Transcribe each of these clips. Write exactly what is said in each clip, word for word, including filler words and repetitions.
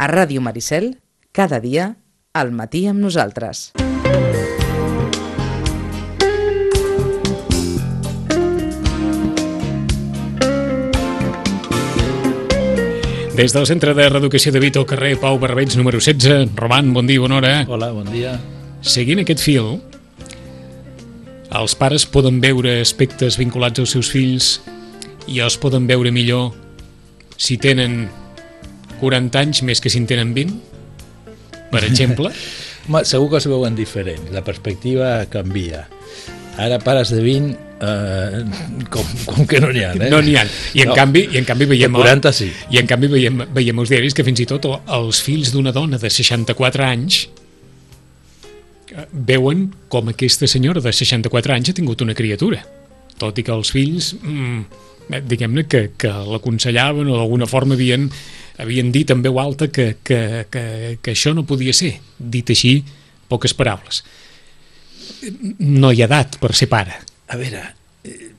A Ràdio Maricel, cada dia, al matí amb nosaltres. Des del Centre de Reeducació de Vito, carrer Pau Barbeig, número setze. Roman, bon dia, bona hora. Hola, bon dia. Seguint aquest fil, els pares poden veure aspectes vinculats als seus fills i els poden veure millor si tenen quaranta anys més que si en tenen vint, per exemple. Segur que es veuen diferent, la perspectiva canvia. Ara pares de vint, eh, com, com que no n'hi ha, eh? No n'hi ha. I en No. canvi, i en canvi veiem... quaranta sí. I en canvi veiem, veiem els diaris que fins i tot els fills d'una dona de seixanta-quatre anys veuen com aquesta senyora de seixanta-quatre anys ha tingut una criatura. Tot i que els fills, mmm, diguem-ne, que, que l'aconsellaven o d'alguna forma havien, havien dit en veu alta que, que, que, que això no podia ser. Dit així, poques paraules. No hi ha edat per ser pare. A veure, eh,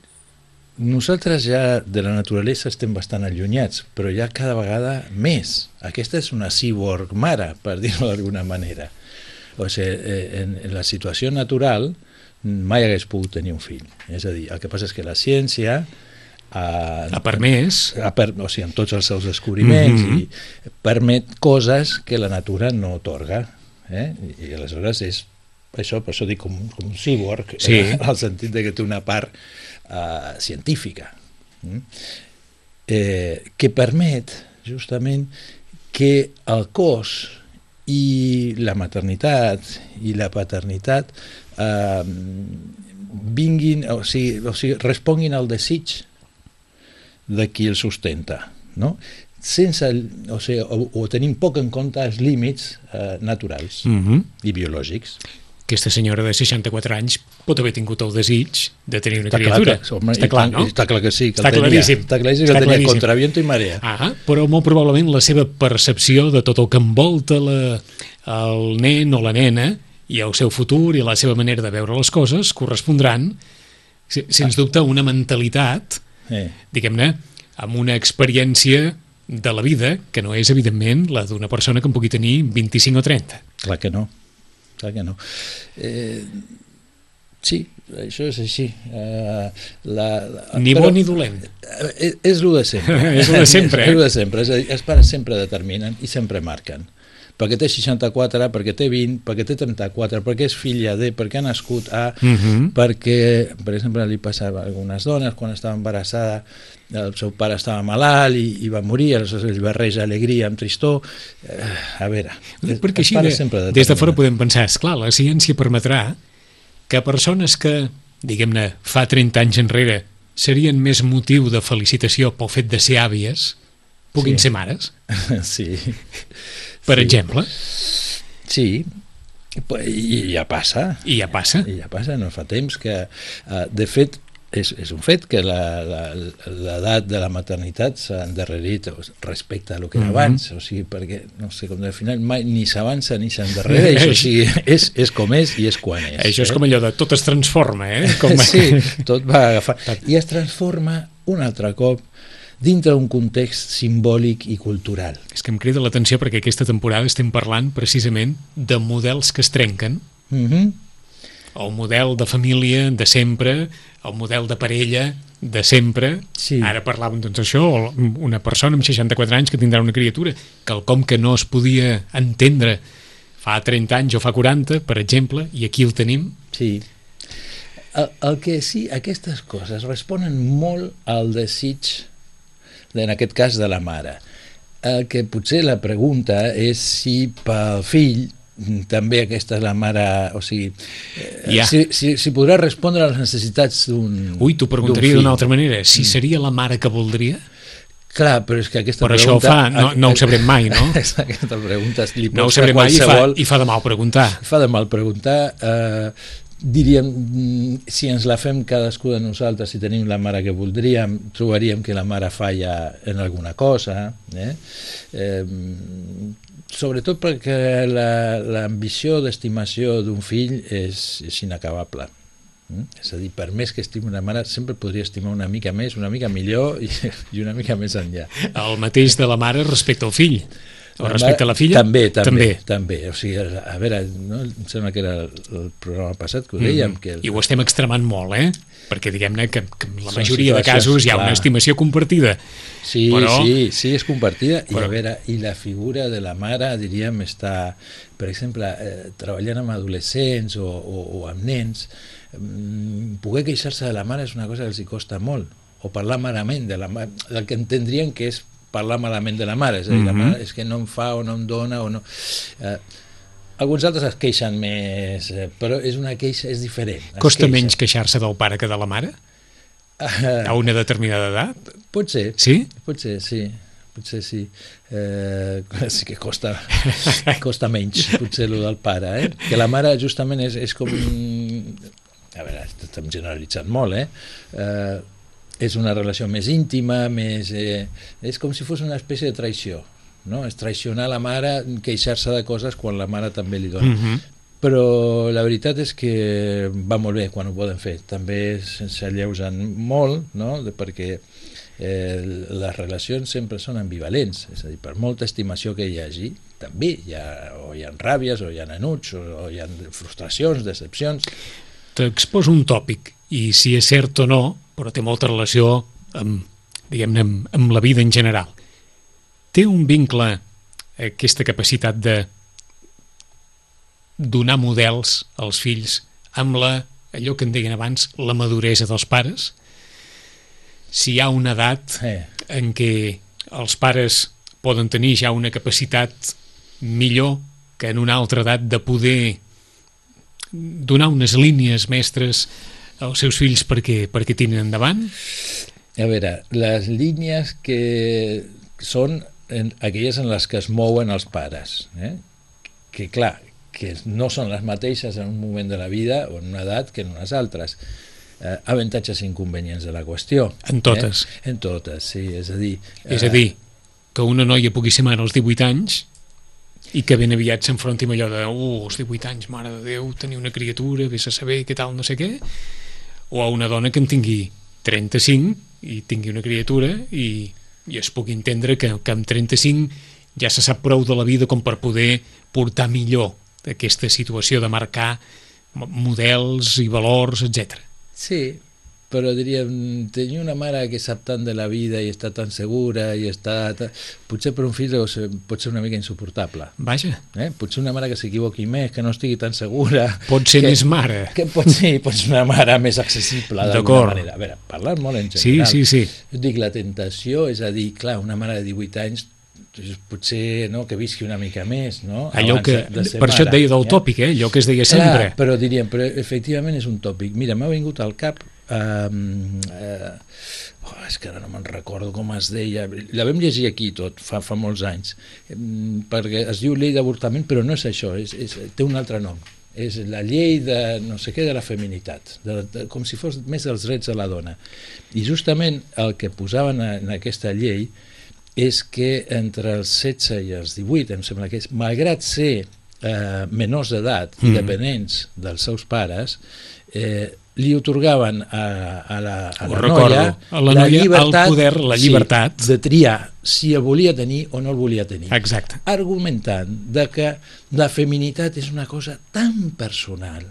nosaltres ja de la naturalesa estem bastant allunyats, però ja cada vegada més. Aquesta és una cyborg mare, per dir-ho d'alguna manera. O sigui, en, en la situació natural mai hagués pogut tenir un fill. És a dir, el que passa és que la ciència ha, Ha permès... ha per, o sigui, amb tots els seus descobriments, Mm-hmm. i permet coses que la natura no otorga. Eh? I, I aleshores és això, per això dic com, com un cyborg, Sí. eh, al sentit de que té una part uh, científica, mm? eh, que permet justament que el cos i la maternitat i la paternitat eh, vinguin, o sigui, o sigui, responguin al desig de qui el sustenta, no? Sense, o sigui, o, o tenim poc en compte els límits eh, naturals Mm-hmm. i biològics. Aquesta senyora de seixanta-quatre anys pot haver tingut el desig de tenir una Està clar, criatura. que, home, Està i clar, tant- no? Està clar que sí, que Està el tenia. claríssim. Està claríssim que Està el tenia claríssim. contra viento i marea. Ah, però molt probablement la seva percepció de tot el que envolta la, el nen o la nena i el seu futur i la seva manera de veure les coses correspondran, se- sens dubte, a una mentalitat, Eh. diguem-ne, amb una experiència de la vida que no és, evidentment, la d'una persona que en pugui tenir vint-i-cinc o trenta. Clar que no, clar que no. Eh, sí, això és així. Eh, la, la, Ni bo ni dolent. És, és el de sempre. És lo de sempre, eh? És el de sempre. És a dir, els pares sempre determinen i sempre marquen. Perquè té seixanta-quatre, perquè té vint, perquè té trenta-quatre, perquè és filla de, perquè ha nascut a, Mhm. perquè, per exemple, li passava a algunes dones, quan estava embarassada, el seu pare estava malalt i, i va morir, aleshores ell barreja alegria amb tristor. Eh, a veure, Perquè els així, pares de, sempre des de fora determinen. podem pensar, esclar, la ciència permetrà que persones que, diguem-ne, fa trenta anys enrere serien més motiu de felicitació pel fet de ser àvies, puguin Sí. ser mares, Sí. per Sí. exemple, Sí, i ja passa. i ja passa. I ja passa, no fa temps que... Uh, de fet, és, és un fet que l'edat de la maternitat s'ha endarrerit respecte a lo que era Mhm. abans, o sigui, perquè, no sé, com al final mai ni s'avança ni s'endarrereix, o sigui, és, és com és i és quan és. Això és eh? com allò de tot es transforma, eh? Com... Sí, tot va agafar. I es transforma un altre cop dintre d'un context simbòlic i cultural. És que em crida l'atenció perquè aquesta temporada estem parlant precisament de models que es trenquen, Mhm. el model de família de sempre, el model de parella de sempre. Sí. Ara parlàvem doncs això, una persona amb seixanta-quatre anys que tindrà una criatura, quelcom que no es podia entendre fa trenta anys o fa quaranta, per exemple, i aquí el tenim. Sí. El, el que sí, aquestes coses responen molt al desig, en aquest cas de la mare. El que potser la pregunta és si pel fill també aquesta és la mare, o sigui, eh, Ja. si, si, si podrà respondre a les necessitats d'un Ui, t'ho preguntaria d'un d'una fill. altra manera, si seria la mare que voldria? Clar, però és que aquesta Però això pregunta... fa, no, no ho sabrem mai, no? Aquesta pregunta li No ho pots fer sabrem mai i fa, qualsevol... i fa de mal preguntar. Fa de mal preguntar. Eh, diríem, mm, si ens la fem cadascú de nosaltres, si tenim la mare que voldríem, trobaríem que la mare falla en alguna cosa. Eh? Eh, sobretot perquè l'ambició la, d'estimació d'un fill és, és inacabable. Mm? És a dir, per més que estimi una mare, sempre podria estimar una mica més, una mica millor i, i una mica més enllà. El mateix de la mare respecte al fill. O respecte a la filla? També, també, també. també. O sigui, a veure, no? Em sembla que era el, el programa passat que ho dèiem. Mm -hmm. que el... I ho estem extremant molt, eh? Perquè diguem-ne que, que en la Són majoria de casos hi ha clar. una estimació compartida. Sí, però... sí, sí, és compartida. Però... I a veure, i la figura de la mare, diríem, està, per exemple, eh, treballant amb adolescents o, o, o amb nens, mm, poder queixar-se de la mare és una cosa que els hi costa molt, o parlar malament de la mare, del que entendrien que és parlar malament de la mare, és a dir, mm-hmm. la mare és que no em fa o no em dona o no... Eh, alguns altres es queixen més, eh, però és una queixa, és diferent. Costa menys queixar-se del pare que de la mare? Uh, a una determinada edat? Pot ser. Sí? Pot ser, sí. Potser sí. Eh, sí que costa, costa menys, potser, el del pare, eh? Que la mare justament és, és com... A veure, estem generalitzant molt, eh? eh és una relació més íntima, més, eh, és com si fos una espècie de traïció, no? És traicionar la mare, queixar-se de coses quan la mare també li dona. Mm-hmm. Però la veritat és que va molt bé quan ho poden fer. També s'alleugen molt, no? perquè eh, les relacions sempre són ambivalents, és a dir, per molta estimació que hi hagi, també hi ha, o hi ha ràbies, o hi ha enuig, o, o hi ha frustracions, decepcions. T'exposo un tòpic, i si és cert o no, però té molta relació amb, diguem-ne, amb, amb la vida en general. Té un vincle, aquesta capacitat de donar models als fills amb la, allò que en deien abans, la maduresa dels pares? Si hi ha una edat Eh. en què els pares poden tenir ja una capacitat millor que en una altra edat de poder donar unes línies mestres als seus fills perquè, perquè tirin endavant? A veure, les línies que són en, aquelles en les que es mouen els pares, eh? que clar, que no són les mateixes en un moment de la vida o en una edat que en unes altres. Eh, avantatges i inconvenients de la qüestió. En totes. Eh? En totes, sí, és a dir... És a dir, que una noia pugui ser mare als divuit anys i que ben aviat s'enfronti amb allò de uh, als divuit anys, mare de Déu, tenir una criatura, vés a saber què tal, no sé què, o a una dona que en tingui trenta-cinc i tingui una criatura i, i es pugui entendre que, que amb trenta-cinc ja se sap prou de la vida com per poder portar millor aquesta situació de marcar models i valors, etcètera. Sí, però diríem, tenir una mare que sap tant de la vida i està tan segura i està... Potser per un fill pot ser una mica insuportable. Vaja. Eh? Potser una mare que s'equivoqui més, que no estigui tan segura... Pot ser que, més mare. Que pot ser, pot ser una mare més accessible d'alguna manera. A veure, parlant molt en general. Sí, sí, sí. Jo dic, la tentació, és a dir, clar, una mare de divuit anys potser no, que visqui una mica més, no? Allò Abans que, de, de per mare, això et deia del ja? tòpic, eh? Allò que es deia Clar, sempre. Però diríem, però efectivament és un tòpic. Mira, m'ha vingut al cap Um, uh, oh, és que ara no me'n recordo com es deia, la vam llegir aquí tot fa, fa molts anys, um, perquè es diu llei d'avortament, però no és això, és, és, té un altre nom, és la llei de no sé què de la feminitat, de, de, com si fos més dels drets de la dona. I justament el que posaven en aquesta llei és que entre els setze i els divuit, em sembla que és, malgrat ser eh, menors d'edat i mm. dependents dels seus pares, eh, li otorgaven a, a la, a la noia, a la, noia la llibertat, el poder, la llibertat sí, de triar si el volia tenir o no el volia tenir. Exacte. Argumentant de que la feminitat és una cosa tan personal,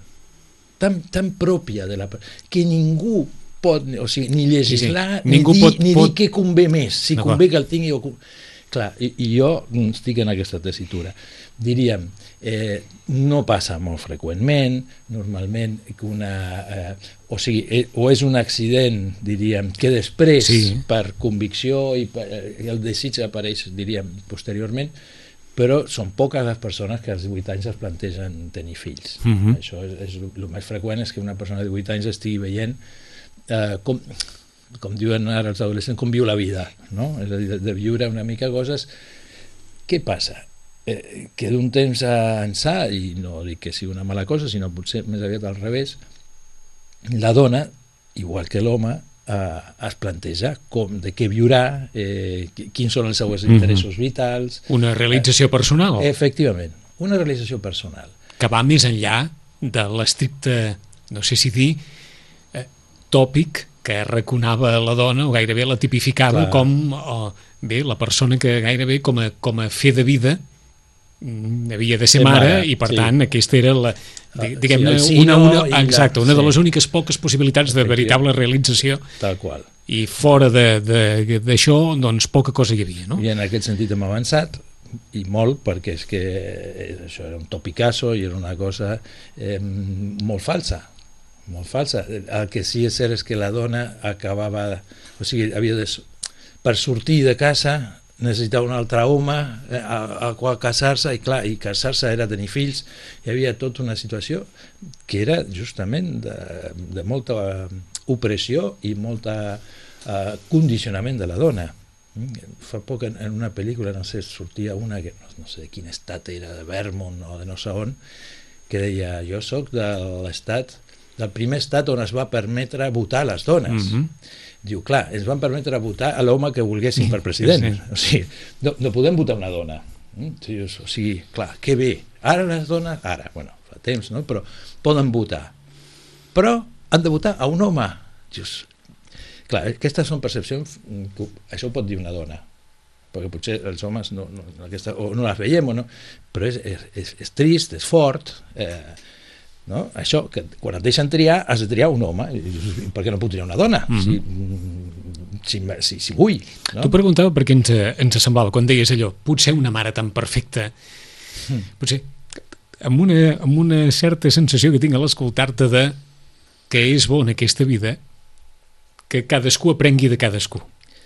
tan, tan pròpia de la que ningú pot, o sigui, ni legislar, sí, sí. Ni, dir, pot, ni pot... dir què convé més, si convé que el tingui o... Clar, i, i jo estic en aquesta tessitura. Diríem, eh, no passa molt freqüentment, normalment que una... Eh, o sigui, eh, o és un accident, diríem, que després, sí. per convicció i, per, i el desig apareix, diríem, posteriorment, però són poques les persones que als divuit anys es plantegen tenir fills. Uh-huh. Això és, és el més freqüent, és que una persona de divuit anys estigui veient eh, com... com diuen ara els adolescents, com viu la vida, no? És a dir, de, de viure una mica coses. Què passa? Eh, que d'un temps a ençà, i no dic que sigui una mala cosa, sinó potser més aviat al revés, la dona, igual que l'home, eh, es planteja com, de què viurà, eh, quins són els seus interessos mm-hmm. vitals... Una realització eh, personal. Efectivament, una realització personal. Que va més enllà de l'estricte, no sé si dir, eh, tòpic que arraconava la dona, o gairebé la tipificava Clar. com oh, bé, la persona que gairebé com a, com a fe de vida havia de ser Ser mare, mare, i per sí. tant aquesta era la, Sí, diguem-ne, el sino una, i una, la- exacte, una de sí. les úniques poques possibilitats de Efectivament. veritable realització, Tal qual. i fora de- de- d'això, doncs poca cosa hi havia, no? I en aquest sentit hem avançat, i molt, perquè és que eh, això era un topicasso i era una cosa eh, molt falsa, molt falsa. El que sí és cert és que la dona acabava, o sigui, havia de, per sortir de casa necessitava un altre home eh, a, a qual casar-se, i clar, i casar-se era tenir fills. Hi havia tota una situació que era justament de, de molta opressió i molta eh, condicionament de la dona. Fa poc en, en una pel·lícula, no sé, sortia una que no, no sé de quin estat era, de Vermont o de no sé on, que deia, jo sóc de l'estat, del primer estat on es va permetre votar a les dones. Mhm. Diu, clar, ens van permetre votar a l'home que volguessin per president. Sí. O sigui, no, no podem votar una dona. Mm? O sigui, clar, que bé. Ara les dones, ara, bueno, fa temps, no? Però poden votar. Però han de votar a un home. Dius, clar, aquestes són percepcions, que això ho pot dir una dona, perquè potser els homes no, no, aquesta, o no les veiem, o no, però és, és, és, és trist, és fort, eh, no? Això, que quan et deixen triar, has de triar un home, i dius, per què no puc triar una dona? Mhm. Si, si, si, si vull. No? T'ho preguntava perquè ens, ens semblava, quan deies allò, potser una mare tan perfecta, potser amb una, amb una certa sensació que tinc a l'escoltar-te de que és bo en aquesta vida que cadascú aprengui de cadascú,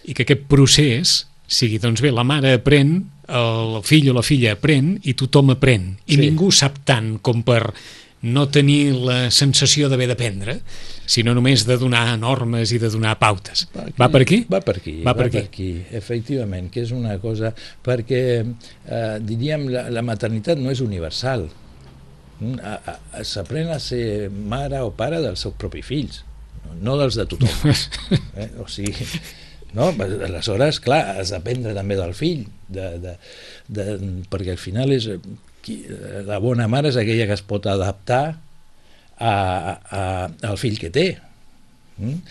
i que aquest procés sigui, doncs bé, la mare aprèn, el fill o la filla aprèn, i tothom aprèn, i Sí. ningú sap tant com per no tenir la sensació d'haver d'aprendre, sinó només de donar normes i de donar pautes. Va per aquí? Va per aquí, Va va, per per aquí. aquí, efectivament, que és una cosa, perquè, eh, diríem, la, la maternitat no és universal. Mm, a- a- S'aprèn a ser mare o pare dels seus propis fills, no dels de tothom. Eh? O sigui, no? Aleshores, clar, has d'aprendre també del fill, de, de, de, perquè al final és... qui- la bona mare és aquella que es pot adaptar a, a, al fill que té. Mm?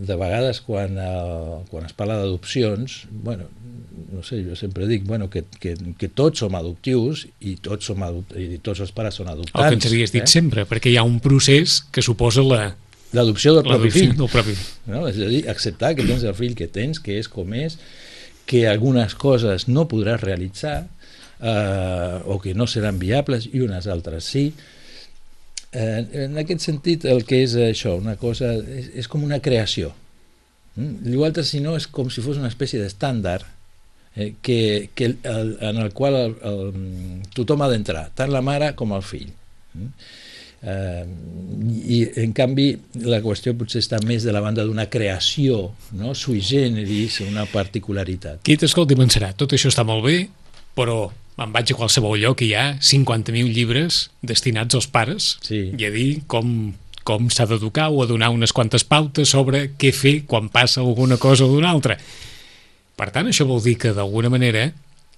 De vegades quan, el, quan es parla d'adopcions, bueno, no sé, jo sempre dic bueno, que, que, que tots som adoptius i tots, som adopt i tots els pares són adoptants. El que ens havies dit eh? sempre, perquè hi ha un procés que suposa la, L'adopció del propi l'adopció fill. del propi. No? És a dir, acceptar que tens el fill que tens, que és com és, que algunes coses no podràs realitzar, eh, o que no seran viables i unes altres sí. Eh, en aquest sentit, el que és això, una cosa, és, és com una creació. Mm? L'altre, si no, és com si fos una espècie d'estàndard eh, que, que el, en el qual el, el, tothom ha d'entrar, tant la mare com el fill. Mm? Eh, i en canvi la qüestió potser està més de la banda d'una creació, no? Sui generis, una particularitat. Qui t'escolti pensarà, tot això està molt bé, però me'n vaig a qualsevol lloc i hi ha cinquanta mil llibres destinats als pares, Sí. i a dir com, com s'ha d'educar o a donar unes quantes pautes sobre què fer quan passa alguna cosa o d'una altra. Per tant, això vol dir que d'alguna manera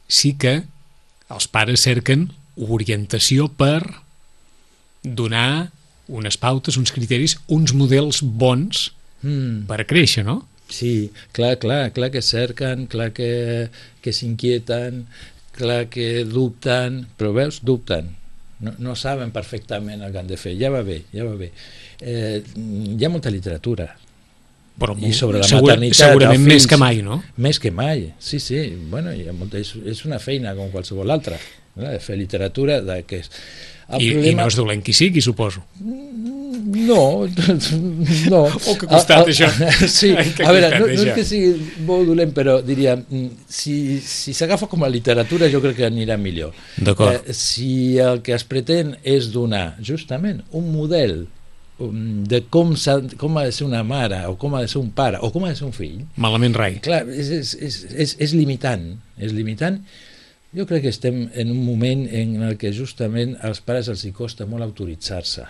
sí que els pares cerquen orientació per donar unes pautes, uns criteris, uns models bons Mm. per créixer, no? Sí, clar, clar, clar que cerquen, clar que, que s'inquieten, clar que dubten, però veus, dubten, no, no saben perfectament el que han de fer, ja va bé, ja va bé. Eh, hi ha molta literatura, Però I sobre la segura, maternitat, segurament els més fills. que mai, no? més que mai, sí, sí, bueno, hi ha molta, és, és una feina com qualsevol altra, no? De fer literatura, de que és... El I, I no és dolent qui sigui, suposo. No, no. Oh, que costat, això. Sí, Ai, que a veure, costat, no, no és això. que sigui molt dolent, però diria, mm, si, si s'agafa com a literatura jo crec que anirà millor. D'acord. Eh, si el que es pretén és donar justament un model um, de com, s'ha- com ha de ser una mare, o com ha de ser un pare, o com ha de ser un fill, Malament rai. clar, és, és, és, és, és limitant, és limitant. Jo crec que estem en un moment en el que justament als pares els hi costa molt autoritzar-se.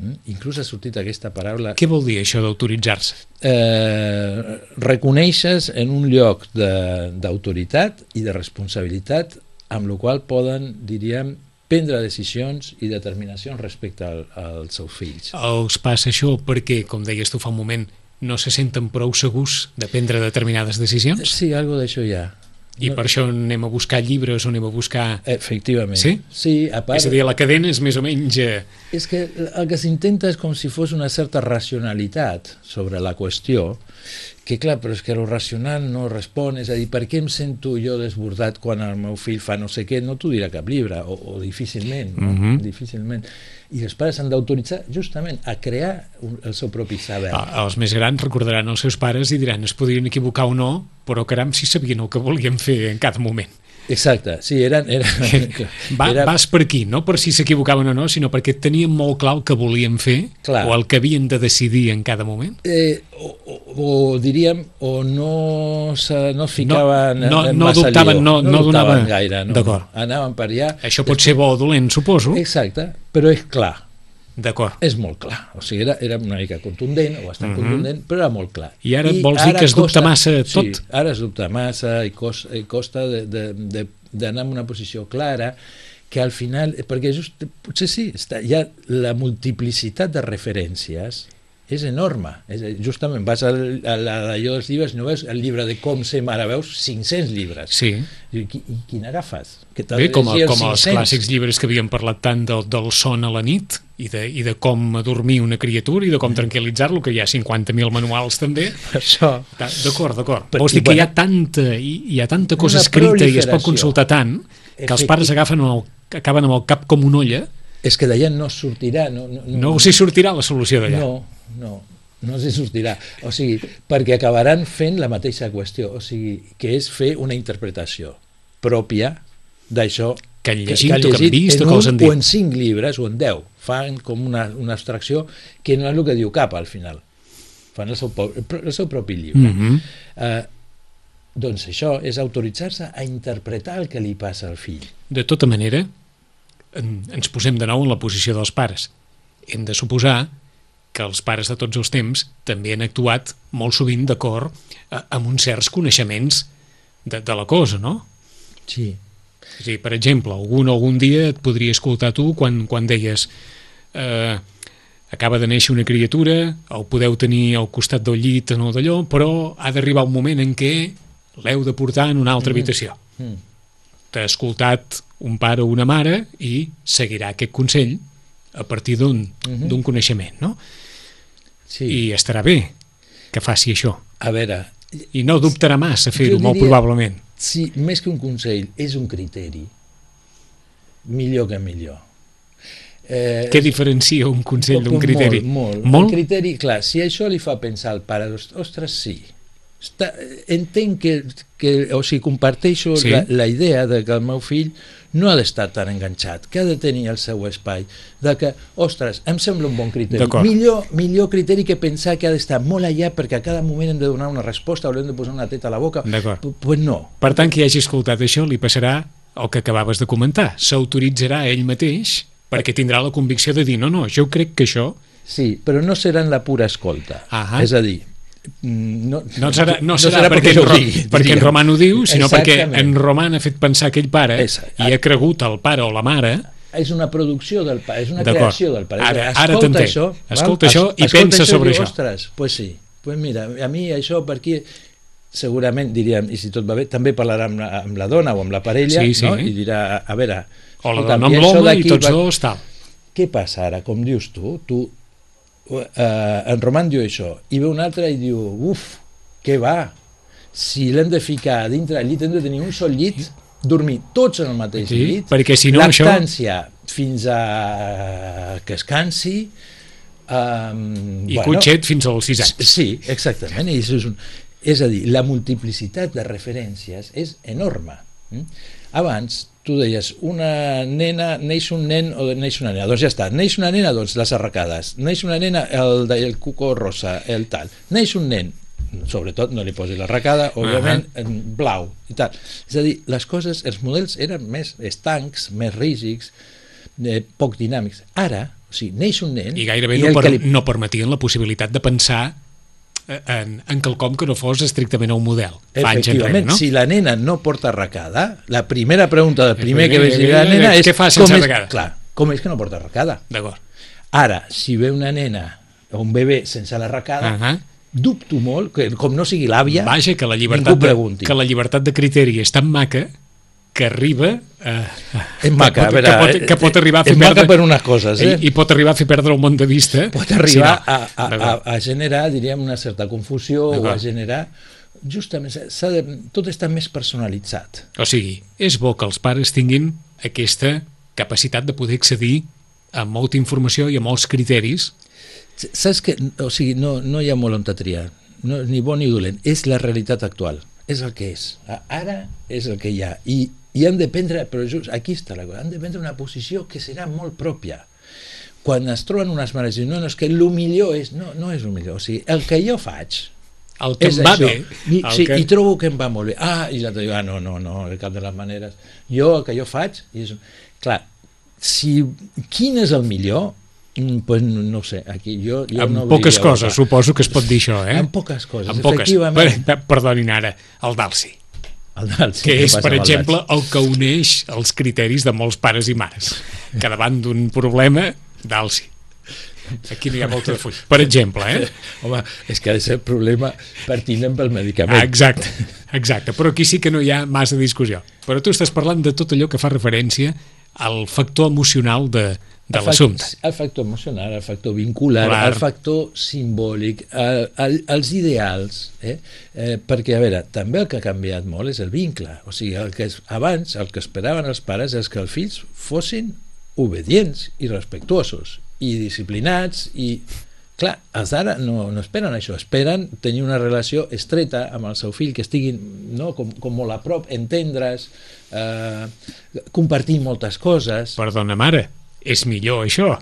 Mm? Inclús ha sortit aquesta paraula, Què vol dir això d'autoritzar-se? eh, reconeixes en un lloc de- d'autoritat i de responsabilitat, amb la qual poden, diríem, prendre decisions i determinacions respecte al, als seus fills. Els passa això perquè, com deies tu fa un moment, no se senten prou segurs de prendre determinades decisions? Sí, algo d'això hi ha. I no. Per això anem a buscar llibres o anem a buscar... Efectivament. Sí? Sí, a part... És a dir, la cadena és més o menys... Eh... És que el que s'intenta és com si fos una certa racionalitat sobre la qüestió, que clar, però és que el racional no respon, és a dir, per què em sento jo desbordat quan el meu fill fa no sé què? No t'ho dirà cap llibre, o, o difícilment, no? Mm-hmm. Difícilment. I els pares s'han d'autoritzar justament a crear un, el seu propi saber. Ah, els més grans recordaran els seus pares i diran es podrien equivocar o no, però caram, si sabien el que volien fer en cada moment. Exacte, sí, eren... eren Va, era... Vas per aquí, no per si s'equivocaven o no, sinó perquè tenien molt clar el que volien fer, clar, o el que havien de decidir en cada moment. Eh, o, o, o diríem, o no se, no es ficaven... No, no, en no massa dubtaven, lío. no, no, no dubtaven donava... gaire, no, D'acord. No. Anaven per allà... Això pot ser bo o dolent, suposo. Exacte, però és clar. D'acord. És molt clar, o sigui, era, era una mica contundent, o bastant uh-huh. contundent, però era molt clar. I ara I vols dir que es dubta massa tot? Sí, ara es dubta massa i costa, i costa de, de, de, d'anar en una posició clara, que al final, perquè just, potser sí, està, ja la multiplicitat de referències és enorme. És, justament vas a l'allò dels llibres, no veus el llibre de com ser mare, veus cinc-cents llibres. Sí. I, i quin agafes? Que Bé, com, a, com els clàssics llibres que havíem parlat tant del, del son a la nit i de, i de com adormir una criatura i de com tranquil·litzar-lo, que hi ha cinquanta mil manuals també. Això. D'acord, d'acord. Vols dir que hi ha tanta, hi, hi ha tanta cosa escrita i es pot consultar tant que els pares agafen el, acaben amb el cap com una olla. És que d'allà no sortirà. No, no, no, no us hi sortirà la solució d'allà. No, no, no s'hi sortirà. O sigui, perquè acabaran fent la mateixa qüestió, o sigui, que és fer una interpretació pròpia d'això que han llegit, que, que, han llegit o que han vist o que els han dit. O en cinc llibres, o en deu. Fan com una, una abstracció que no és el que diu cap al final. Fan el seu, el seu propi llibre. Mm-hmm. uh, doncs això és autoritzar-se a interpretar el que li passa al fill. De tota manera, en, ens posem de nou en la posició dels pares. Hem de suposar que els pares de tots els temps també han actuat molt sovint d'acord amb uns certs coneixements de, de la cosa, no? Sí. És a dir, per exemple, algun, algun dia et podria escoltar tu quan, quan deies eh, acaba de néixer una criatura, el podeu tenir al costat del llit o no d'allò, però ha d'arribar un moment en què l'heu de portar en una altra habitació. Mm. T'ha escoltat un pare o una mare i seguirà aquest consell a partir d'un mm-hmm. d'un coneixement, no? Sí. I estarà bé que faci això. A veure... I no dubtarà massa fer-ho, molt probablement. Sí, més que un consell, és un criteri. Millor que millor. Eh, Què diferencia un consell d'un criteri? Molt, molt. molt. El criteri, clar, si això li fa pensar al pare, ostres, sí. Està, entenc que, que, o sigui, comparteixo sí. la, la idea de que el meu fill no ha d'estar tan enganxat, que ha de tenir el seu espai, de que, ostres, em sembla un bon criteri. Millor, millor criteri que pensar que ha d'estar molt allà perquè a cada moment hem de donar una resposta o hem de posar una teta a la boca. D'acord. Pues no. Per tant, qui hagi escoltat això li passarà el que acabaves de comentar. S'autoritzarà ell mateix perquè tindrà la convicció de dir no, no, jo crec que això... Sí, però no serà en la pura escolta. Ahà. És a dir, no, no serà, no serà, no serà perquè, perquè, digui, perquè en Roman ho diu, sinó perquè en Roman ha fet pensar aquell pare i ha cregut el pare o la mare. És una producció del pare, és una creació del pare. Ara, ara t'entenc. Això, escolta això i pensa això, sobre això. Ostres, pues sí, pues mira, a mi això per aquí segurament diríem, i si tot va bé, també parlarà amb la, amb la dona o amb la parella, sí, sí. No? I dirà, a veure... O la dona amb l'home i tots dos, tal. Què passa ara? Com dius tu, tu Uh, en Roman diu això i ve un altre i diu uf, què va, si l'hem de ficar dintre del llit hem de tenir un sol llit, dormir tots en el mateix sí, llit, perquè si no lactància això... fins a que es cansi um, i bueno, cotxet fins als sis anys. Sí, exactament, i és, un... és a dir, la multiplicitat de referències és enorme. Abans tu deies, una nena, neix un nen o neix una nena, doncs ja està, neix una nena, doncs les arracades, neix una nena, el, el cuco rosa, el tal, neix un nen, sobretot no li posi l'arracada, òbviament, uh -huh. blau i tal. És a dir, les coses, els models eren més estancs, més rígids, eh, poc dinàmics. Ara, o sigui, neix un nen... I gairebé i no, per, li... no permetien la possibilitat de pensar En, en quelcom que no fos estrictament un model. Efectivament, no? Si la nena no porta arracada, la primera pregunta del primer, primer que veig dir la nena és què fa sense arracada? Clar, com és que no porta arracada? D'acord. Ara, si ve una nena o un bebè sense l'arracada, uh -huh. dubto molt, que com no sigui l'àvia, Vaja, que la ningú llibertat de, pregunti. que la llibertat de criteri és tan maca que arriba a, És maca, que, a veure, que, pot, que pot arribar a fer és maca perdre, per unes coses, eh? i, i pot arribar a fer perdre el món de vista. Pot arribar si no. a, a, a, a generar, diríem, una certa confusió o a generar... Justament, s'ha de, tot està més personalitzat. O sigui, és bo que els pares tinguin aquesta capacitat de poder accedir a molta informació i a molts criteris. Saps que, o sigui, no, no hi ha molt on triar, no, ni bo ni dolent, és la realitat actual, és el que és. Ara és el que hi ha, i, i han de prendre, però just aquí està la cosa, han de prendre una posició que serà molt pròpia. Quan es troben unes mares i diuen, no, no, és que el millor és, no, no és el millor, o sigui, el que jo faig, El que és em va això. bé. I, sí, que... i trobo que em va molt bé. Ah, i l'altre diu, ah, no, no, no, de cap de les maneres. Jo, el que jo faig, i és... clar, si, quin és el millor? Pues no ho sé, aquí jo, jo en no poques obriria coses, boca. suposo que es pot dir això, eh? En poques coses, en poques. efectivament. Per, perdonin ara, el Dalsi, El Dalsi, que què és, passa per amb el exemple, Dalsi? el que uneix els criteris de molts pares i mares. Que davant d'un problema, Dalsi. Aquí no hi ha molta de full. Per exemple, eh? Home, és que ha de ser problema pertinent pel medicament. Ah, exacte, exacte. Però aquí sí que no hi ha massa discussió. Però tu estàs parlant de tot allò que fa referència al factor emocional de, de l'assumpte. El factor emocional, el factor vincular, Clar. el factor simbòlic, el, el, els ideals, eh? Eh, perquè, a veure, també el que ha canviat molt és el vincle. O sigui, el que és, abans el que esperaven els pares és que els fills fossin obedients i respectuosos i disciplinats i, clar, els d'ara no, no esperen això, esperen tenir una relació estreta amb el seu fill, que estiguin, no, com, com molt a prop, entendre's, eh, compartir moltes coses. Perdona, mare, és millor això.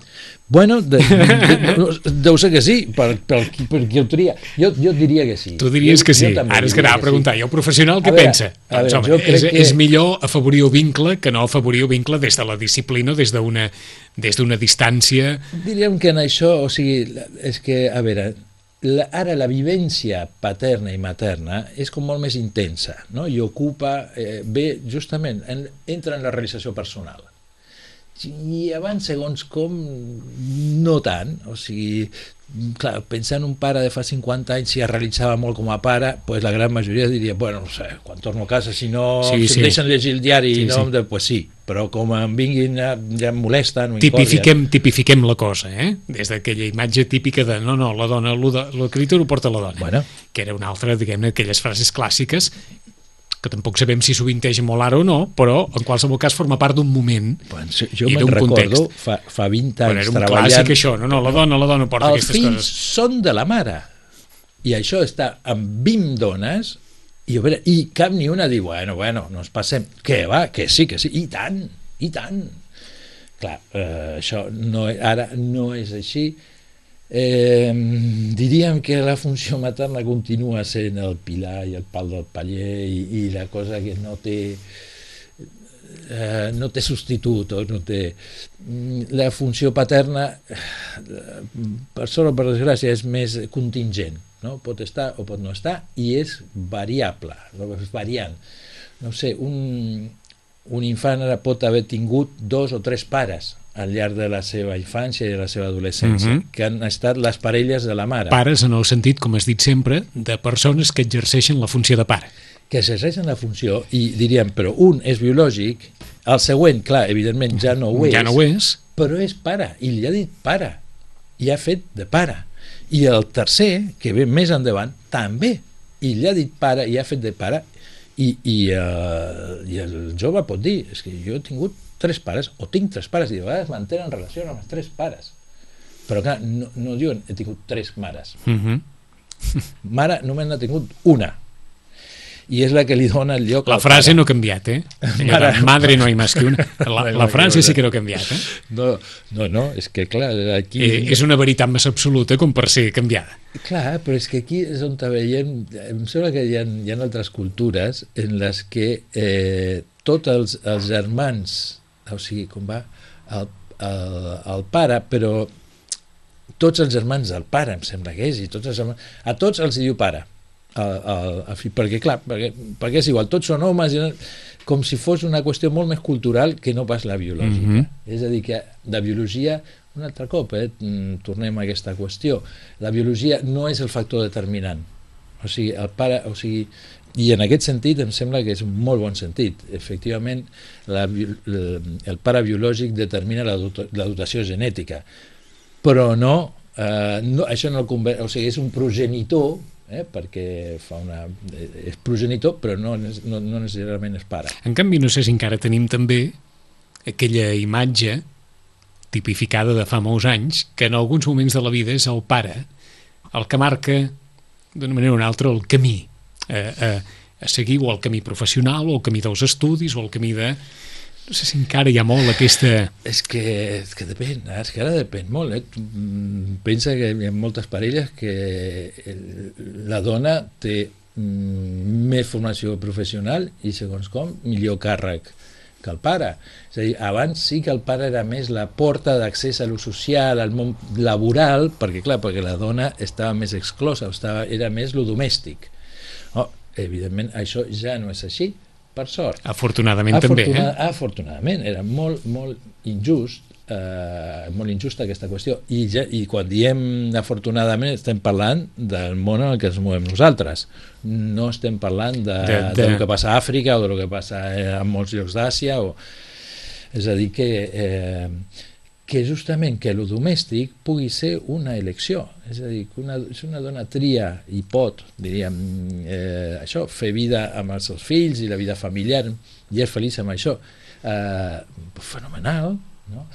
Bueno, de, de, no, deu ser que sí, per, per, per qui ho tria. Jo, jo diria que sí. Tu diries jo, que sí. Jo Ara és que anava a preguntar, sí. i el professional què A veure, pensa? a Doncs, veure, home, jo crec és, que- és millor afavorir el vincle que no afavorir el vincle des de la disciplina o des d'una des d'una distància. Diríem que en això, o sigui, la- és que, a veure, la, ara la vivència paterna i materna és com molt més intensa, no? I ocupa, eh, bé, justament, en, entra en la realització personal. I abans, segons com, no tant. O sigui, clar, pensar en un pare de fa cinquanta anys, si es realitzava molt com a pare, pues la gran majoria diria, bueno, no sé, quan torno a casa, si no Sí, si sí. em deixen llegir el diari, Sí, no, sí. de, pues sí, però com em vinguin, ja, ja em molesten, o Tipifiquem, tipifiquem la cosa, eh? Des d'aquella imatge típica de no, no, la dona, l'escriptor ho porta la dona, Bueno. que era una altra, diguem-ne, aquelles frases clàssiques que tampoc sabem si sovinteja molt ara o no, però en qualsevol cas forma part d'un moment. Bueno, jo i me'n d'un recordo context. fa, fa vint Bueno, anys era un treballant. clàssic això, no, no, la dona, la dona porta Els aquestes fills coses. són de la mare, i això està amb vint dones, i, a veure, i cap ni una diu, bueno, bueno, no ens passem, que va, que sí, que sí, i tant, i tant. Clar, eh, això no, ara no és així. Eh, diríem que la funció materna continua sent el pilar i el pal del paller i, i la cosa que no té eh, no té substitut o no té... La funció paterna, per sort o per desgràcia, és més contingent, no? Pot estar o pot no estar, i és variable, no? És variant. No sé, un, un infant ara pot haver tingut dos o tres pares al llarg de la seva infància i de la seva adolescència, Mhm. que han estat les parelles de la mare, Pares en el sentit, com has dit sempre, de persones que exerceixen la funció de pare. que exerceixen la funció, i diríem, però un és biològic, el següent, clar, evidentment ja no ho és, Ja no ho és. però és pare, i li ha dit pare, i ha fet de pare. I el tercer, que ve més endavant, també, i li ha dit pare, i ha fet de pare, i, i, uh, i el jove pot dir, és que jo he tingut tres pares, o tinc tres pares, i de vegades mantenen relació amb els tres pares. Però clar, no, no diuen he tingut tres mares. Uh -huh. Mare només n'ha tingut una. I és la que li dona el lloc La al frase pare. no ha canviat, eh? Allò Mare- de madre no hay más que una. La, la frase sí que no ha canviat, eh? No, no, no, és que clar, aquí... eh és una veritat més absoluta com per ser canviada. Clar, però és que aquí és on veiem, em sembla que hi ha, hi ha altres cultures en les que eh, tots els, els germans, o sigui, com va, el, el, el pare, però tots els germans del pare, em sembla que és, i tots els germans, a tots els diu pare, al, al, al fill, perquè clar, perquè, perquè és igual, tots són homes, com si fos una qüestió molt més cultural que no pas la biològica. Mm-hmm. És a dir, que de biologia, un altre cop, eh, tornem a aquesta qüestió, la biologia no és el factor determinant. O sigui, el pare, o sigui, i en aquest sentit em sembla que és un molt bon sentit. Efectivament, la, el pare biològic determina la, dot, la dotació genètica, però no, eh, no això no el conver... o sigui, és un progenitor, eh, perquè fa una... és progenitor, però no, no, no necessàriament és pare. En canvi, no sé si encara tenim també aquella imatge tipificada de fa molts anys, que en alguns moments de la vida és el pare el que marca d'una manera o una altra el camí a, a, a seguir, o el camí professional, o el camí dels estudis, o el camí de... No sé si encara hi ha molt aquesta... És que, és que depèn, és que ara depèn molt. Eh? Pensa que hi ha moltes parelles que la dona té més formació professional i, segons com, millor càrrec que el pare. És a dir, abans sí que el pare era més la porta d'accés a lo social, al món laboral, perquè clar, perquè la dona estava més exclosa, estava, era més lo domèstic. Oh, evidentment, això ja no és així, per sort. Afortunadament Afortuna, també, eh? Afortunadament, era molt, molt injust, eh, molt injusta aquesta qüestió. I, ja, I quan diem afortunadament estem parlant del món en el que ens movem nosaltres. No estem parlant de, de, de... del que passa a Àfrica o del que passa en molts llocs d'Àsia. O... És a dir, que, eh, que justament que el domèstic pugui ser una elecció. És a dir, que una, si una dona tria i pot, diríem, eh, això, fer vida amb els seus fills i la vida familiar, i és feliç amb això, eh, fenomenal, no?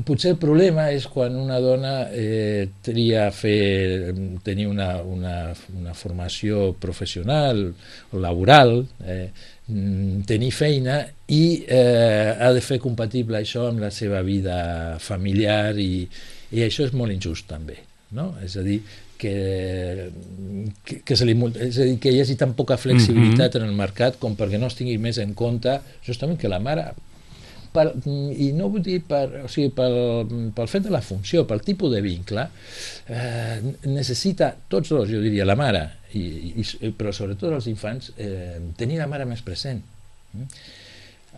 Potser el problema és quan una dona eh, tria fer, tenir una, una, una formació professional o laboral, eh, tenir feina i eh, ha de fer compatible això amb la seva vida familiar i, i això és molt injust també, no? És a dir, que, que, que, se li, és a dir, que hi hagi tan poca flexibilitat mm-hmm. en el mercat com perquè no es tingui més en compte justament que la mare per, i no vull dir per, o sigui, pel, pel fet de la funció, pel tipus de vincle, eh, necessita tots dos, jo diria, la mare, i, i, però sobretot els infants, eh, tenir la mare més present.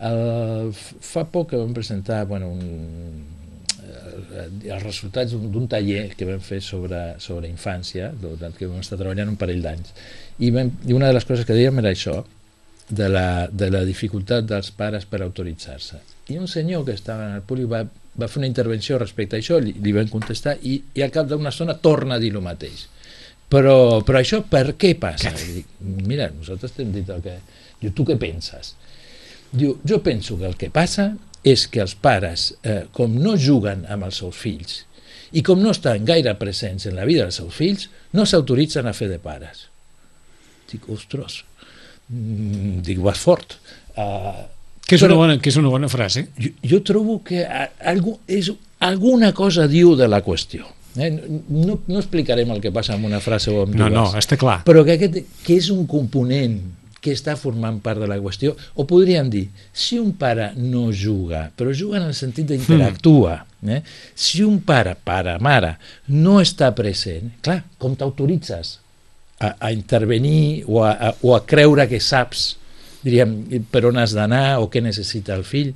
El, fa poc que vam presentar bueno, un, els resultats d'un taller que vam fer sobre, sobre infància, que vam estar treballant un parell d'anys, i, vam, i una de les coses que dèiem era això, de la, de la dificultat dels pares per autoritzar-se. I un senyor que estava en el públic va, va fer una intervenció respecte a això, li, li vam contestar i, i al cap d'una estona torna a dir el mateix. Però, però això per què passa? Dic, mira, nosaltres t'hem dit el que... Diu, tu què penses? Diu, jo penso que el que passa és que els pares, eh, com no juguen amb els seus fills i com no estan gaire presents en la vida dels seus fills, no s'autoritzen a fer de pares. Dic, ostres, dic, vas fort. Uh, que, és una bona, que és una bona frase. Jo, jo trobo que algú, és, alguna cosa diu de la qüestió. Eh? No, no explicarem el que passa amb una frase o amb dues. No, no, està clar. Però que, aquest, que és un component que està formant part de la qüestió, o podríem dir, si un pare no juga, però juga en el sentit d'interactua, eh? Si un pare, pare, mare, no està present, clar, com t'autoritzes a, a intervenir o a, a, o a creure que saps, diríem, per on has d'anar o què necessita el fill?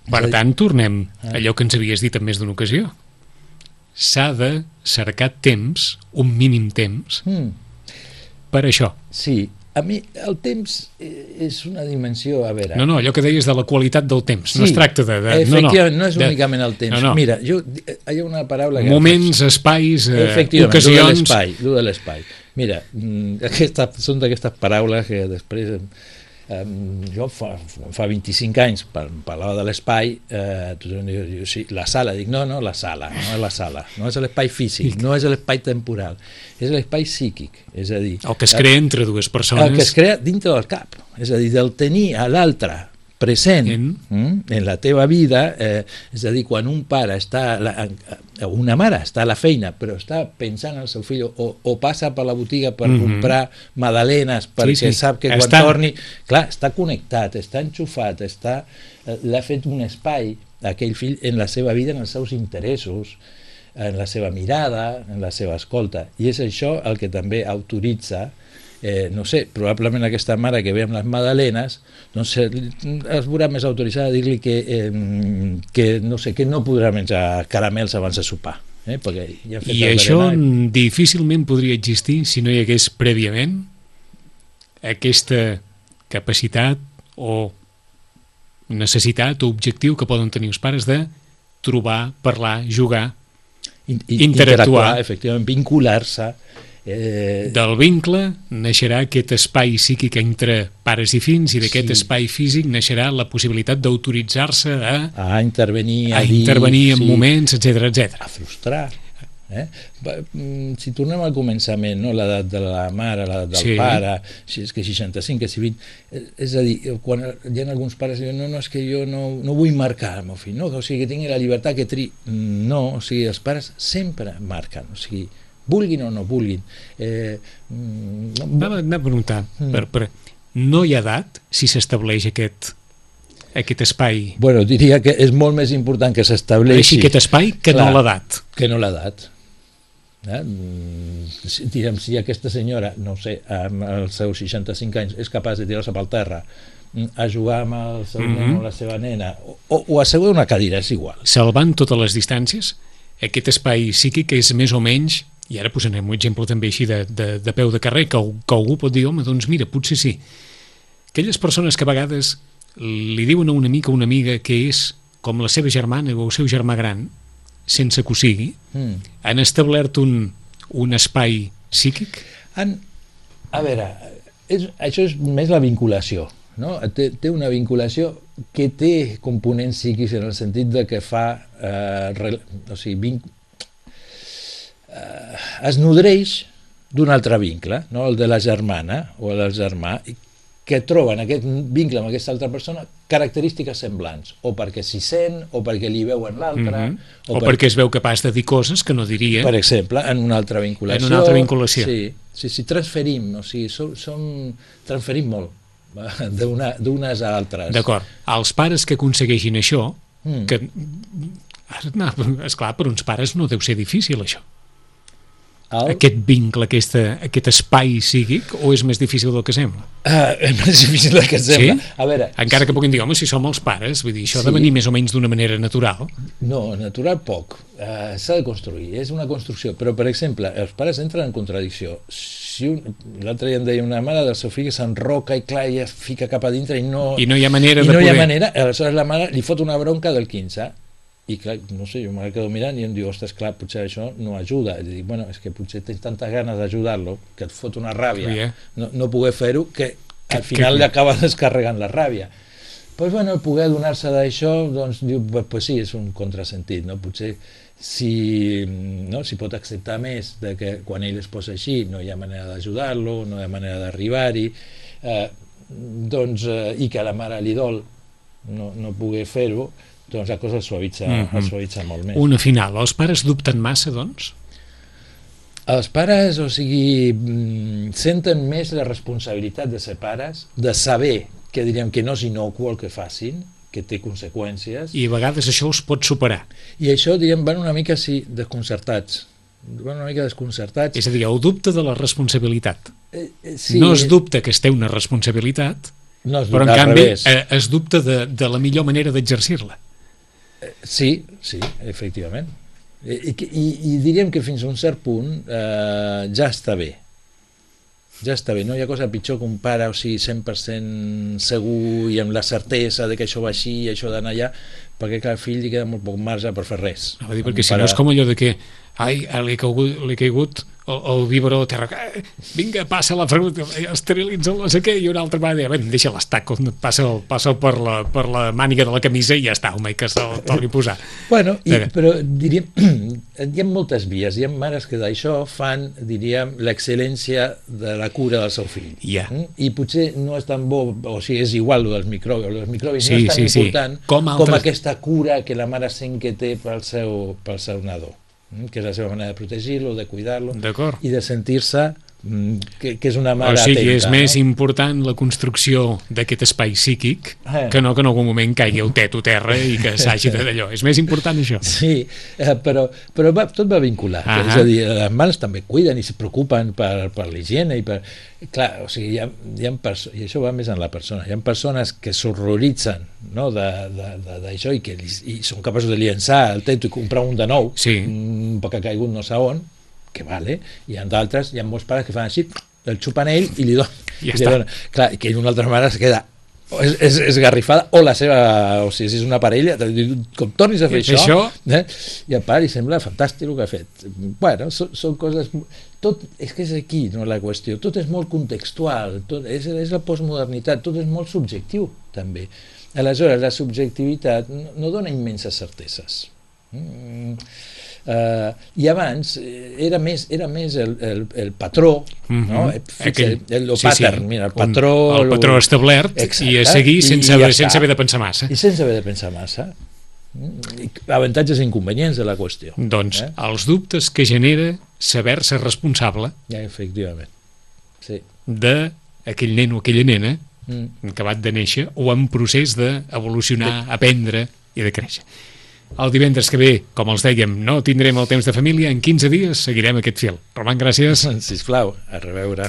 Per tant, tornem a allò que ens havies dit en més d'una ocasió. S'ha de cercar temps, un mínim temps, mm. per això. Sí, a mi el temps és una dimensió, a veure... No, no, allò que deies de la qualitat del temps, sí, no es tracta de... de efectivament, no, no, no és únicament el temps. No, no. Mira, jo, hi ha una paraula... Que moments, faig... espais, eh, efectivament, ocasions... Efectivament, de l'espai. Mira, aquesta, són d'aquestes paraules que després... Eh, jo fa, fa vint-i-cinc anys parlava de l'espai, eh, tothom diu, sí, la sala, dic no, no, la sala, no és la sala, no és l'espai físic, no és l'espai temporal, és l'espai psíquic, és a dir... El que es crea entre dues persones... El que es crea dintre del cap, és a dir, del tenir a l'altre present en, mm, en la teva vida, eh, és a dir, quan un pare està, la, una mare està a la feina però està pensant en el seu fill o, o passa per la botiga per mm-hmm. comprar magdalenes perquè sí, sí. sap que quan està... torni, clar, està connectat, està enxufat, està, eh, l'ha fet un espai aquell fill en la seva vida, en els seus interessos, en la seva mirada, en la seva escolta. I és això el que també autoritza, eh, no sé, probablement aquesta mare que ve amb les magdalenes, doncs es veurà més autoritzada a dir-li que, eh, que, no sé, que no podrà menjar caramels abans de sopar. Eh? Perquè ja I això berenar... difícilment podria existir si no hi hagués prèviament aquesta capacitat o necessitat o objectiu que poden tenir els pares de trobar, parlar, jugar, in, in, interactuar, efectivament, vincular-se. Eh... Del vincle naixerà aquest espai psíquic entre pares i fills i d'aquest sí. espai físic naixerà la possibilitat d'autoritzar-se a, a intervenir, a, a dir, intervenir en sí, moments, etcètera, etcètera. A frustrar. Eh? Si tornem al començament, no? L'edat de la mare, l'edat del sí. pare, si és que seixanta-cinc, que si vint, és a dir, quan hi ha alguns pares que diuen no, no, és que jo no, no vull marcar el meu fill, no? O sigui, que tingui la llibertat que tri... No, o sigui, els pares sempre marquen, o sigui, vulguin o no vulguin. Eh, no... Anem a preguntar, mm. per, per, no hi ha edat si s'estableix aquest aquest espai? Bueno, diria que és molt més important que s'estableixi aquest espai que clar, no l'edat. Que no l'edat. Eh? Si, diguem, si aquesta senyora, no sé, amb els seus seixanta-cinc anys és capaç de tirar-se pel terra a jugar amb el seu mm-hmm. nen o la seva nena o, o assegurar una cadira, és igual. Salvant totes les distàncies, aquest espai psíquic és més o menys, i ara posarem un exemple també així de, de, de peu de carrer, que, que algú pot dir, home, doncs mira, potser sí. Aquelles persones que a vegades li diuen a un amic o una amiga que és com la seva germana o el seu germà gran, sense que ho sigui, mm. han establert un, un espai psíquic? Han, a veure, és, això és més la vinculació, no? Té, té una vinculació que té components psíquics en el sentit de que fa, eh, re, o sigui, vinc, eh, es nodreix d'un altre vincle, no? El de la germana o el del germà, que troben aquest vincle amb aquesta altra persona característiques semblants, o perquè s'hi sent, o perquè li veuen l'altre, mm-hmm. o, o per... perquè es veu capaç de dir coses que no diria. Per exemple, en una altra vinculació. En una altra vinculació. Sí, sí, sí, transferim, o sigui, som, som, transferim molt d'unes a altres. D'acord. Els pares que aconsegueixin això, mm. que, no, esclar, per uns pares no deu ser difícil això. El... Aquest vincle, aquesta, aquest espai psíquic, o és més difícil del que sembla? Uh, és més difícil del que sembla. Sí? A veure, encara que puguin dir, home, si som els pares, vull dir, això sí. ha de venir més o menys d'una manera natural. No, natural poc. Uh, s'ha de construir, és una construcció. Però, per exemple, els pares entren en contradicció. Si un... L'altre dia em deia una mare del seu fill que s'enroca i clar, ja fica cap a dintre i no... I no hi ha manera I de no poder... hi ha manera, aleshores la mare li fot una bronca del quinze. I clar, no sé, jo me quedo mirant i em diu, ostres, clar, potser això no ajuda. I dic, bueno, és que potser tens tantes ganes d'ajudar-lo que et fot una ràbia, yeah. no, no poder fer-ho, que al final que... li acaba descarregant la ràbia. Doncs, pues, bueno, el poder donar-se d'això, doncs, diu, pues, pues sí, és un contrasentit, no? Potser si, no, si pot acceptar més de que quan ell es posa així no hi ha manera d'ajudar-lo, no hi ha manera d'arribar-hi, eh, doncs, eh, i que a la mare li dol no, no poder fer-ho, doncs la cosa es suavitza, mm-hmm. es suavitza molt més. Una final, els pares dubten massa, doncs? Els pares, o sigui, senten més la responsabilitat de ser pares, de saber que diríem que no és inocu el que facin, que té conseqüències. I a vegades això es pot superar. I això, diríem, van una mica, sí, desconcertats. Van una mica desconcertats. És a dir, el dubte de la responsabilitat. Eh, eh, sí, no es dubta que es té una responsabilitat, no es però en canvi eh, es dubta de, de la millor manera d'exercir-la. Sí, sí, efectivament. I, i, i diríem que fins a un cert punt eh, ja està bé. Ja està bé, no hi ha cosa pitjor que un pare, o sigui, cent per cent segur i amb la certesa de que això va així i això d'anar allà, perquè clar, al fill li queda molt poc marge per fer res. No, dir, perquè si pare... no és com allò de que ai, li ha caigut, li ha caigut el, el biberó a terra, vinga, passa la fruita, esterilitza la sé què, i una altra vegada, deixa l'estac, passa, passa per, la, per la màniga de la camisa i ja està, home, que se'l torni a posar. Bueno, i, però diríem, hi ha moltes vies, hi ha mares que d'això fan, diríem, l'excel·lència de la cura del seu fill. Yeah. I potser no és tan bo, o sigui, és igual el dels microbis, els microbis sí, no és tan sí, important sí. Com, altres... com aquesta cura que la mare sent que té pel seu, pel seu nadó, que és la seva manera de protegir-lo, de cuidar-lo i de sentir-se que, que és una mare o sigui, atenta, és més no? important la construcció d'aquest espai psíquic eh. que no que en algun moment caigui el teto terra i que s'hagi d'allò. És més important això. Sí, eh, però, però va, tot va vinculat. Uh -huh. És a dir, les mares també cuiden i se preocupen per, per l'higiene i per... Clar, o sigui, hi ha, hi ha perso... i això va més en la persona. Hi ha persones que s'horroritzen, no, d'això i que li, i són capaços de llençar el teto i comprar un de nou, sí. un poc que ha caigut no sé on, que vale, i hi ha d'altres, hi ha molts pares que fan així, el xupen ell i li donen. Ja i li donen. Clar, que una altra mare es queda és, és, és garrifada, o la seva, o sigui, si és una parella, com tornis a fer això, això? Eh? I al pare li sembla fantàstic el que ha fet. Bueno, són, són coses... Tot, és que és aquí, no, la qüestió. Tot és molt contextual, tot, és, és la postmodernitat, tot és molt subjectiu, també. Aleshores, la subjectivitat no, no dona immenses certeses. Mm. Uh, i abans era més, era més el, el, el patró, mm -hmm. no? Aquell, el, el sí, pattern, sí. mira, el patró, el patró establert. Exacte. I a seguir sense, I ja sense haver de pensar massa. I sense haver de pensar massa. Avantatges i inconvenients de la qüestió. Doncs eh? els dubtes que genera saber-se responsable, ja, efectivament, sí, d'aquell nen o aquella nena mm. acabat de néixer o en procés d'evolucionar, de... aprendre i de créixer. El divendres que ve, com els dèiem, no tindrem el temps de família, en quinze dies seguirem aquest fil. Roman, gràcies. Sisplau, a reveure.